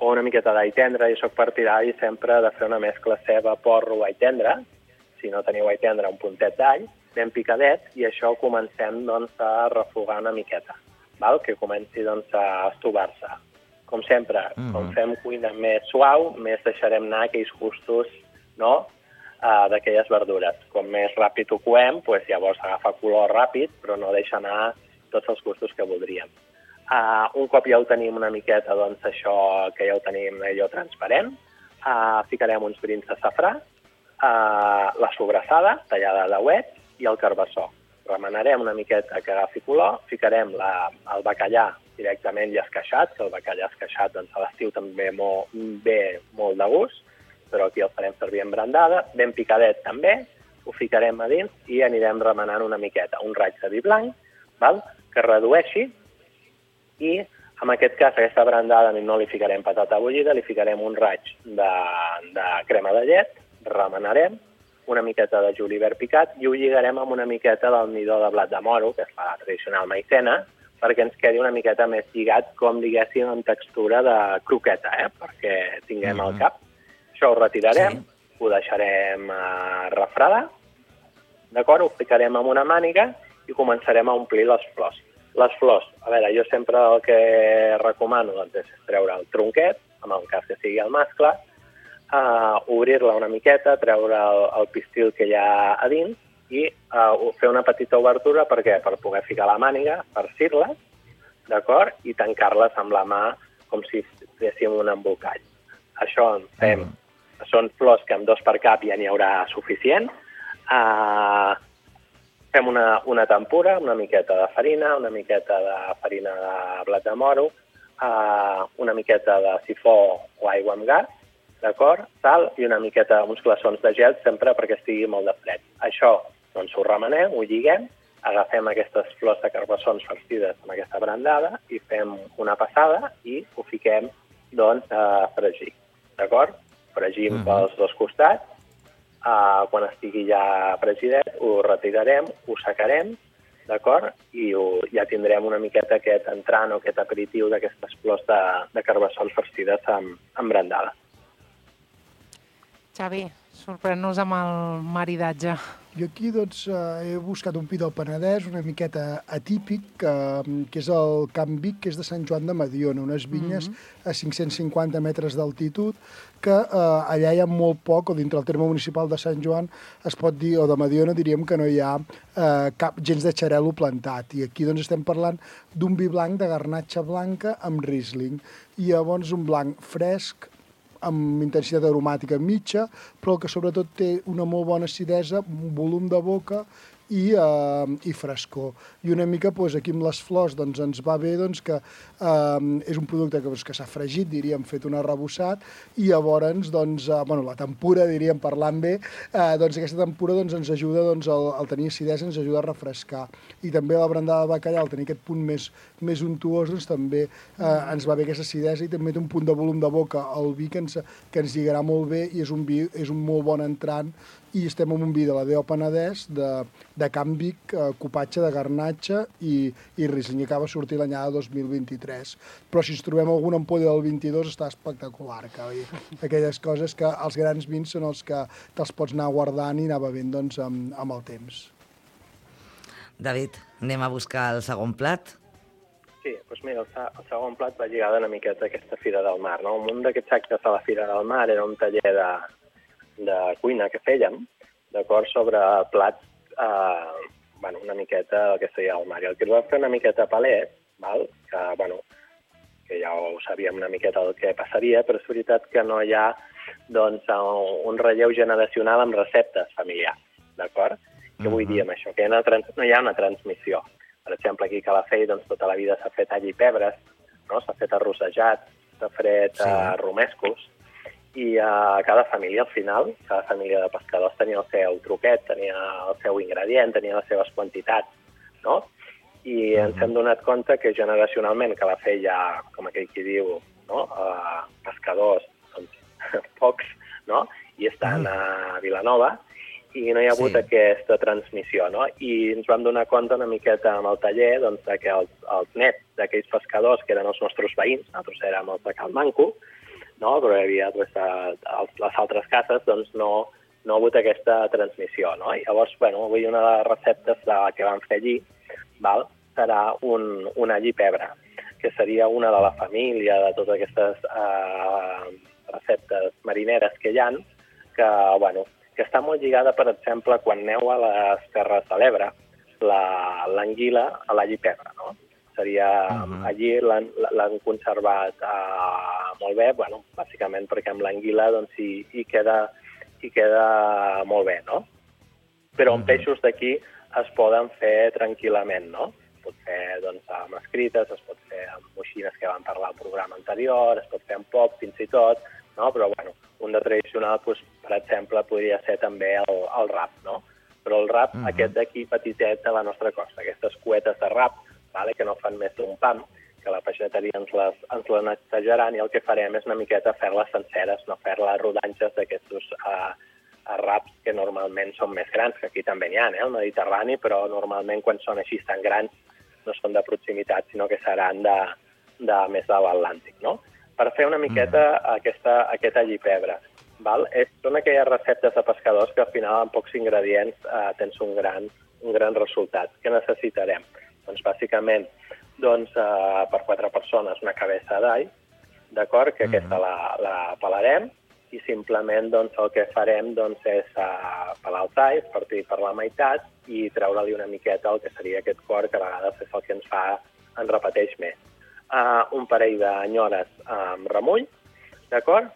o una miqueta d'all tendre. Jo soc partidari sempre de fer una mescla ceba, porro, all tendre. Si no teniu all tendre, un puntet d'all, ben picadet, i això comencem a refogar una miqueta, que comenci a estovar-se. Com sempre, com fem cuina més suau, més deixarem anar aquells gustos d'aquelles verdures. Com més ràpid ho coem, llavors agafa color ràpid, però no deixa anar tots els gustos que voldríem. Un cop ja ho tenim una miqueta, això que ja ho tenim allò transparent, ficarem uns brins de safrà, la sobrassada, tallada de dauet, i el carbassó. Remenarem una miqueta que agafi color, ficarem el bacallà directament ja esqueixat, que el bacallà esqueixat a l'estiu també ve molt de gust, però aquí el farem servir en brandada, ben picadet també, ho ficarem a dins i anirem remenant una miqueta, un raig de vi blanc, que redueixi, i en aquest cas aquesta brandada no li ficarem patata bullida, li ficarem un raig de crema de llet, remenarem una miqueta de julivert picat i ho lligarem amb una miqueta del midó de blat de moro, que és la tradicional maicena, perquè ens quedi una miqueta més lligat, com diguéssim, en textura de croqueta, perquè tinguem al cap. Això ho retirarem, ho deixarem refredar, d'acord? Ho ficarem en una màniga i començarem a omplir les flors. Les flors, a veure, jo sempre el que recomano és treure el tronquet, en el cas que sigui el mascle, obrir-la una miqueta, treure el pistil que hi ha a dins i fer una petita obertura per poder ficar la màniga, farcir-les, d'acord? I tancar-les amb la mà com si féssim un embolcall. Això fem. Són flors que amb 2 per cap ja n'hi haurà suficient. Fem una tempura, una miqueta de farina, una miqueta de farina de blat de moro, una miqueta de sifó o aigua amb gas, d'acord? Sal i una miqueta, uns glaçons de gel, sempre perquè estigui molt de fred. Això, doncs, ho remenem, ho lliguem, agafem aquestes flors de carbassons farcides amb aquesta brandada i fem una passada i ho fiquem, doncs, a fregir, d'acord? Fregim pels dos costats. Quan estigui ja fregidet, ho retirarem, ho secarem, d'acord? I ja tindrem una miqueta aquest entrant o aquest aperitiu d'aquestes flors de carbassons farcides amb brandada. Xavi, sorprèn-nos amb el maridatge. Jo aquí doncs, he buscat un pi del Penedès una miqueta atípic, que és el Camp Vic, que és de Sant Joan de Mediona, unes vinyes a 550 metres d'altitud, que allà hi ha molt poc, o dintre el terme municipal de Sant Joan, es pot dir, o de Mediona, diríem que no hi ha cap gens de xarel·lo plantat. I aquí doncs estem parlant d'un vi blanc de garnatxa blanca amb Riesling. I llavors un blanc fresc, amb intensitat aromàtica mitja, però que sobretot té una molt bona acidesa, un volum de boca i frescor. I una mica aquí amb les flors ens va bé que és un producte que s'ha fregit, diríem, fet un arrebossat, i llavors la tempura, diríem, parlant bé, aquesta tempura ens ajuda al tenir acidesa, ens ajuda a refrescar. I també la brandada de bacallà, al tenir aquest punt més untuós, també ens va bé aquesta acidesa i també té un punt de volum de boca al vi que ens lligarà molt bé i és un molt bon entrant. I estem en un vi de la DO Penedès, de Can Vic, cupatge de garnatge i Riesling, i acaba sortir l'anyada 2023. Però si ens trobem alguna ampolla del 22 està espectacular. Aquelles coses que els grans vins són els que te'ls pots anar guardant i anar bevent amb el temps. David, anem a buscar el segon plat? Sí, doncs mira, el segon plat va lligada una miqueta a aquesta Fira del Mar, no? Un d'aquests actes a la Fira del Mar era un taller de cuina que fèiem, d'acord, sobre plats, una miqueta el que seria el mar. I el que es va fer una miqueta palet, que ja ho sabíem una miqueta el que passaria, però és veritat que no hi ha un relleu generacional amb receptes familiars, d'acord? Què vull dir amb això? Que no hi ha una transmissió. Per exemple, aquí a Calafell tota la vida s'ha fet all i pebres, no? S'ha fet arrossejat, s'ha fet romescos, i cada família, al final, cada família de pescadors tenia el seu truquet, tenia el seu ingredient, tenia les seves quantitats, no? I ens hem donat compte que generacionalment Calafell hi ha, com aquell qui diu, no? Pescadors, pocs, no? I estan a Vilanova, i no hi ha hagut aquesta transmissió, no? I ens vam donar compte una miqueta amb el taller que els nets d'aquells pescadors, que eren els nostres veïns, nosaltres érem els de Cal Manco, no? Però hi havia les altres cases, no ha hagut aquesta transmissió, no? I llavors, avui una de les receptes que vam fer allí serà un all i pebre, que seria una de la família de totes aquestes receptes marineres que hi ha, que està molt lligada, per exemple, quan aneu a les Terres de l'Ebre, l'anguila a l'all i pebre, no? Seria, allí l'han conservat molt bé, bàsicament perquè amb l'anguila hi queda molt bé, no? Però amb peixos d'aquí es poden fer tranquil·lament, no? Es pot fer amb escrites, es pot fer amb moixines que vam parlar al programa anterior, es pot fer amb pop fins i tot, no? Però un de tradicional, per exemple, podria ser també el rap, no? Però el rap, aquest d'aquí petitet de la nostra costa, aquestes cuetes de rap, que no fan més d'un pam, que la peixateria ens la netejaran, i el que farem és una miqueta fer-les senceres, no fer-les rodanxes d'aquests raps que normalment són més grans, que aquí també n'hi ha, al Mediterrani, però normalment quan són així tan grans no són de proximitat, sinó que seran més de l'Atlàntic, no? Per fer una miqueta aquest all i pebre. Són aquelles receptes de pescadors que al final amb pocs ingredients tens un gran resultat. Què necessitarem? Doncs bàsicament per 4 persones una cabeça d'all, d'acord? Que aquesta la pelarem i simplement el que farem és pelar els alls, partir per la meitat i treure-li una miqueta el que seria aquest cor, que a vegades és el que ens repeteix més. Un parell d'anyores amb remull, d'acord?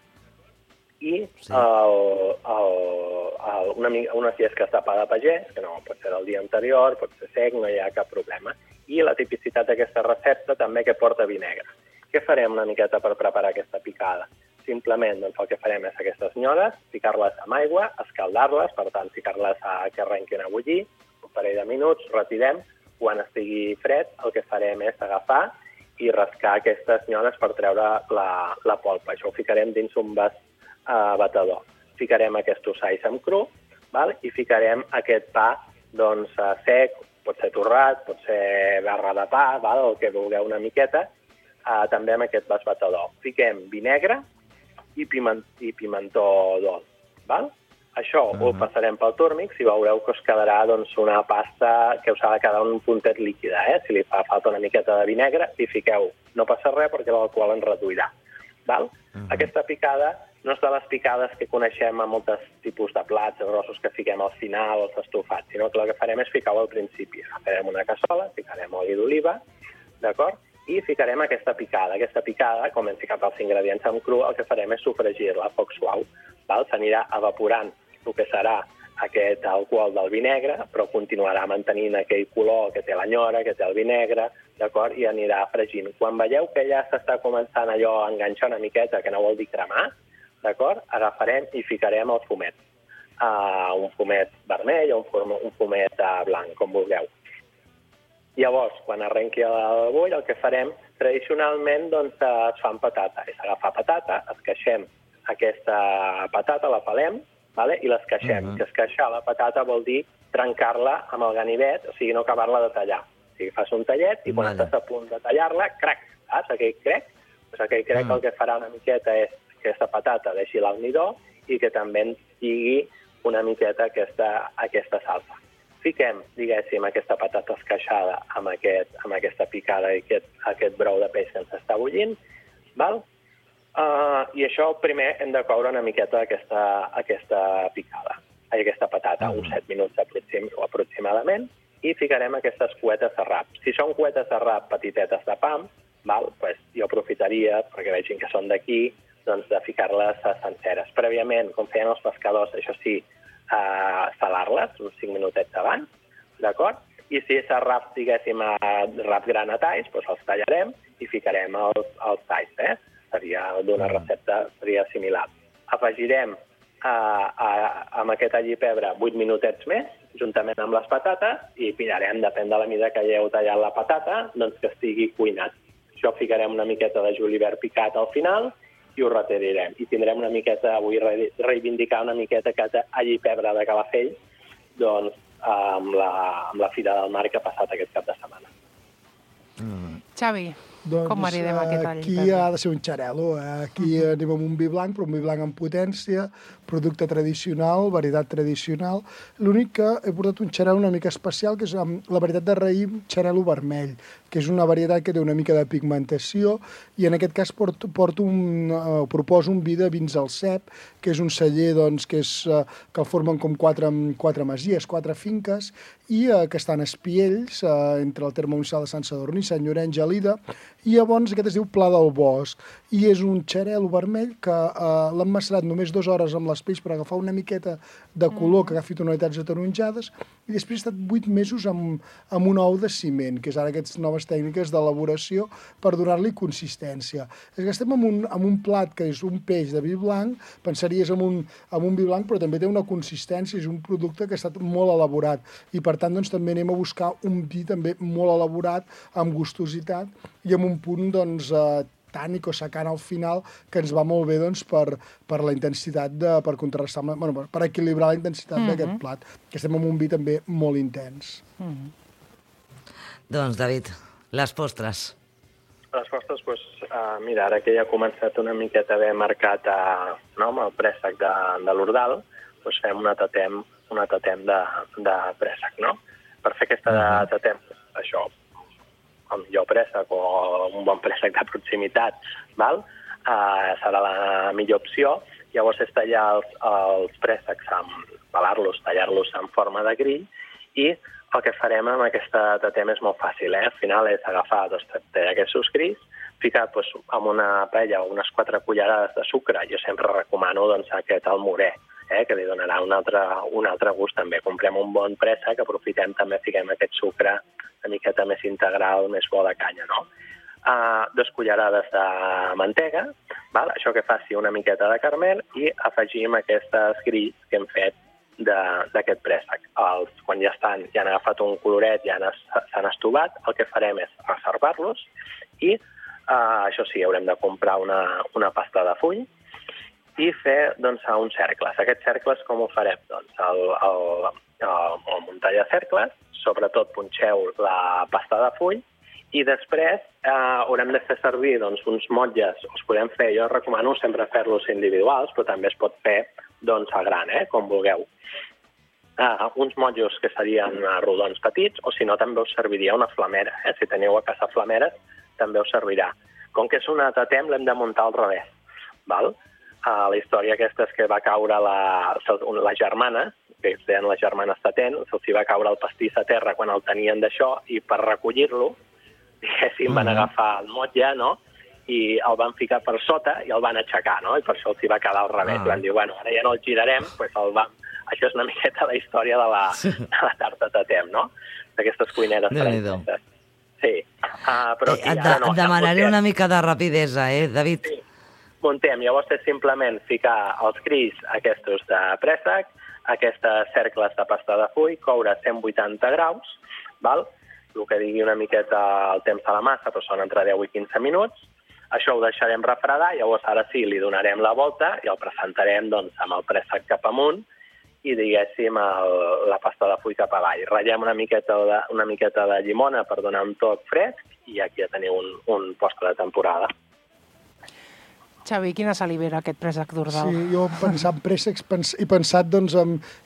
I unes llesques de pa de pagès, que no pot ser del dia anterior, pot ser sec, no hi ha cap problema. I la tipicitat d'aquesta recepta també que porta vi negre. Què farem una miqueta per preparar aquesta picada? Simplement el que farem és aquestes nyores, ficar-les amb aigua, escaldar-les, per tant, ficar-les que arrenquin a bullir, un parell de minuts, retirem, quan estigui fred, el que farem és agafar i rascar aquestes nyores per treure la polpa. Això ho ficarem dins un vas batedor. Ficarem aquests ossalls amb cru, i ficarem aquest pa sec, pot ser torrat, pot ser barra de pa, el que vulgueu una miqueta, també amb aquest vas batedor. Fiquem vi negre i pimentó dolç. Això ho passarem pel túrmix i veureu que us quedarà una pasta que us ha de quedar un puntet líquida. Si li fa falta una miqueta de vi negre, hi fiqueu. No passa res perquè l'alcohol ens reduirà. Aquesta picada no és de les picades que coneixem a molts tipus de plats grossos que fiquem al final, els estofats, sinó que el que farem és ficar-ho al principi. Farem una cassola, ficarem oli d'oliva, d'acord? I ficarem aquesta picada. Aquesta picada, com hem ficat els ingredients en cru, el que farem és sofregir-la a foc suau. S'anirà evaporant el que serà aquest alcohol del vi negre, però continuarà mantenint aquell color que té l'anyora, que té el vi negre, d'acord? I anirà fregint. Quan veieu que ja s'està començant allò a enganxar una miqueta, que no vol dir cremar, d'acord? Agafarem i ficarem el fumet. Un fumet vermell o un fumet blanc, com vulgueu. Llavors, quan arrenqui el bull, el que farem, tradicionalment, doncs, es fa amb patata. És agafar patata, esqueixem aquesta patata, la pelem, vale? I l'esqueixem. Que esqueixar la patata vol dir trencar-la amb el ganivet, o sigui, no acabar-la de tallar. O sigui, fas un tallet i quan estàs a punt de tallar-la, crac, saps? Aquell crec. Pues aquell crec el que farà una miqueta és que aquesta patata deixi l'almidó i que també ens lligui una miqueta aquesta salsa. Fiquem, diguéssim, aquesta patata esqueixada amb aquesta picada i aquest brou de peix que ens està bullint, val? I això primer hem de coure una miqueta aquesta picada, aquesta patata, uns 7 minuts aproximadament, i ficarem aquestes cuetes de rap. Si són cuetes de rap petitetes de pam, val? Pues jo aprofitaria, perquè vegin que són d'aquí, doncs de ficar-les senceres. Prèviament, com feien els pescadors, això sí, salar-les uns 5 minutets abans, d'acord? I si és rap, diguéssim, rap gran a talls, doncs els tallarem i ficarem els talls, Seria d'una recepta, seria similar. Afegirem amb aquest all i pebre 8 minutets més, juntament amb les patates, i pillarem, depèn de la mida que hagueu tallat la patata, doncs que estigui cuinat. Això ficarem una miqueta de julivert picat al final i ho retirirem. I tindrem una miqueta, vull reivindicar una miqueta aquest all i pebre de Calafell, doncs, amb la Fira del Mar que ha passat aquest cap de setmana. Xavi, com maridem aquest all i aquí pebre? ha de ser un xarel·lo. Aquí anem amb un vi blanc, però un vi blanc amb potència, producte tradicional, varietat tradicional. L'únic que he portat un xarel·lo una mica especial, que és la varietat de raïm xarel·lo vermell, que és una varietat que té una mica de pigmentació, i en aquest cas proposo un vi de vins al cep, que és un celler doncs, que el formen com quatre masies, 4 finques, i que estan a Espiells, entre el terme municipal de Sant Sadurní, Sant Llorenç, Gelida, i llavors aquest es diu Pla del Bosc, i és un xarel·lo vermell que l'han macerat només 2 hores amb les pells per agafar una miqueta de color, que agafi tonalitats ataronjades, i després ha estat 8 mesos amb un ou de ciment, que és ara aquestes noves tècniques d'elaboració per donar-li consistència. És que estem amb un plat que és un peix de vi blanc, pensaries en un vi blanc, però també té una consistència, és un producte que ha estat molt elaborat, i per tant doncs, també anem a buscar un vi també molt elaborat, amb gustositat, i amb un punt doncs, tànic o secant al final, que ens va molt bé doncs, per la intensitat, per contrastar, per equilibrar la intensitat d'aquest plat, que estem amb un vi també molt intens. Doncs, David, les postres. Les postres, doncs, mira, ara que ja ha començat una miqueta a haver marcat amb el préssec de l'Ordal, doncs fem una tatem de préssec, no? Per fer aquesta tatem, això, el millor préssec o un bon préssec de proximitat, val? Serà la millor opció. Llavors és tallar els préssecs, pelar-los, tallar-los en forma de grill, i el que farem amb aquesta tatem és molt fàcil. Al final és agafar aquests grills, ficar amb una paella o unes 4 cullerades de sucre. Jo sempre recomano aquest almorè, que li donarà un altre gust també. Comprem un bon préssec, aprofitem també, fiquem aquest sucre una miqueta més integral, més bo de canya, no? 2 cullerades de mantega, val? Això que faci una miqueta de caramel, i afegim aquestes grills que hem fet d'aquest préssec. Quan ja han agafat un coloret, ja s'han estovat, el que farem és reservar-los, i això sí, haurem de comprar una pasta de full, i fer uns cercles. Aquests cercles com ho farem? Doncs el muntall de cercles, sobretot punxeu la pasta de full, i després haurem de fer servir uns motlles, els podem fer, jo recomano sempre fer-los individuals, però també es pot fer a gran, com vulgueu. Uns motllos que serien rodons petits, o si no també us serviria una flamera. Si teniu a casa flameres, també us servirà. Com que és una tatem, l'hem de muntar al revés. Val? La història aquesta és que va caure la germana, que es deien les germanes Tatent, se'ls va caure el pastís a terra quan el tenien d'això, i per recollir-lo, diguéssim, van agafar el motlle, no?, i el van ficar per sota i el van aixecar, no?, i per això els va quedar al revés. Van dir, bueno, ara ja no el girarem, doncs el vam Això és una miqueta la història de la tarta tatem, no? D'aquestes cuineres franceses. Sí. Però aquí, et demanaré una mica de rapidesa, David? Sí. Muntem. Llavors és simplement ficar els grills aquests de préssec, aquestes cercles de pasta de full, coure a 180 graus, val? El que digui una miqueta el temps de la massa, però són entre 10 i 15 minuts. Això ho deixarem refredar, llavors ara sí li donarem la volta i el presentarem doncs, amb el préssec cap amunt i, diguéssim, la pasta de full cap avall. Ratllem una miqueta de llimona per donar un toc fresc i aquí ja teniu un postre de temporada. Xavi, quina salivera aquest préssec d'Ordal. Sí, jo pensant préssecs he pensat, doncs,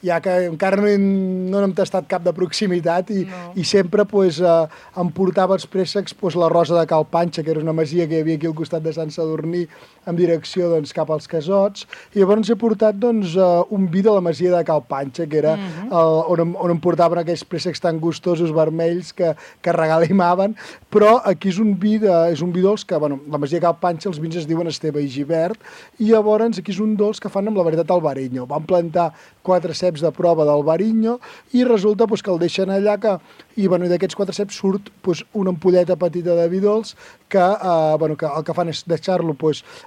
ja que encara no n'hem tastat cap de proximitat i sempre em portava els préssecs la Rosa de Cal Panxa, que era una masia que hi havia aquí al costat de Sant Sadurní, en direcció cap als Casots, i llavors he portat un vi de la masia de Cal Panxa, que era on em portaven aquells préssecs tan gustosos vermells que regalimaven, però aquí és un vi dolç que, la masia de Cal Panxa, els vins es diuen Esteve i Givert, i llavors aquí és un dolç que fan amb la varietat Albarino. Van plantar 4 ceps de prova d'Albarino i resulta que el deixen allà i d'aquests 4 ceps surt una ampolleta petita de vi dolç que el que fan és deixar-lo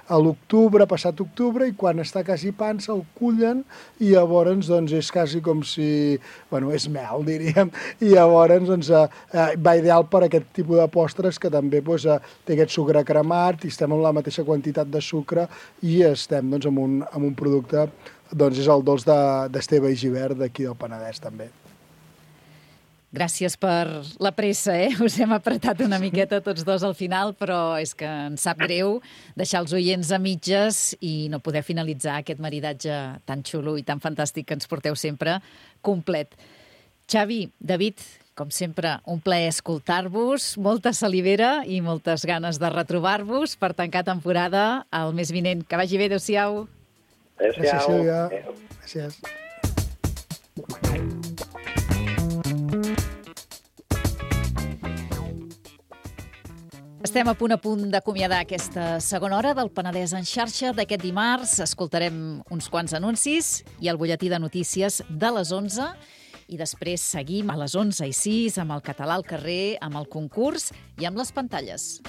a l'octubre, passat octubre, i quan està quasi pansa el cullen i llavors és quasi com si... és mel, diríem, i llavors va ideal per aquest tipus de postres que també té aquest sucre cremat i estem amb la mateixa quantitat de sucre i estem amb un producte, és el dolç d'Esteve i Givert d'aquí del Penedès també. Gràcies per la pressa, Us hem apretat una miqueta tots dos al final, però és que ens sap greu deixar els oients a mitges i no poder finalitzar aquest maridatge tan xulo i tan fantàstic que ens porteu sempre complet. Xavi, David, com sempre, un plaer escoltar-vos, molta salivera i moltes ganes de retrobar-vos per tancar temporada el mes vinent. Que vagi bé, adéu-siau. Gràcies, Sílvia. Gràcies. Estem a punt d'acomiadar aquesta segona hora del Penedès en xarxa d'aquest dimarts. Escoltarem uns quants anuncis i el butlletí de notícies de les 11 i després seguim a les 11:06 amb el Català al carrer, amb el concurs i amb les pantalles.